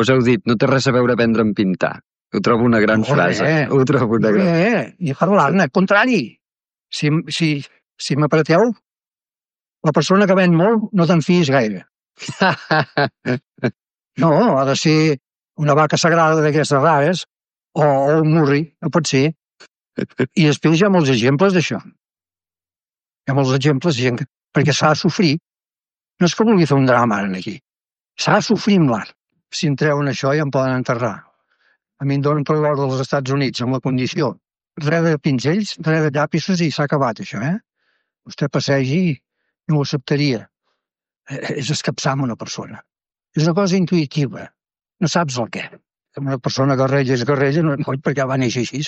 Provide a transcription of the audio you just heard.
Vos heu dit, no té res a veure aprendre en pintar. Ho trobo una gran frase. Ho trobo una gran... I parlar-ne, al contrari. Si m'apreteu, la persona que ven molt no te'n fiïs gaire. No, ha de ser una vaca sagrada d'aquestes rares o un murri, no pot ser. I després hi ha molts exemples d'això. Hi ha molts exemples de gent perquè s'ha de sofrir. No és que vulgui fer un drama ara aquí. S'ha de sofrir amb l'art. Si em treuen això ja em poden enterrar. A mi em donen per l'or dels Estats Units amb la condició. Res de pinzells, res de llapisos i s'ha acabat això, eh? Vostè passegi i ho acceptaria. És escapçar amb una persona. És una cosa intuïtiva. No saps el què. Una persona guerrella és guerrella, no és perquè va néixer així.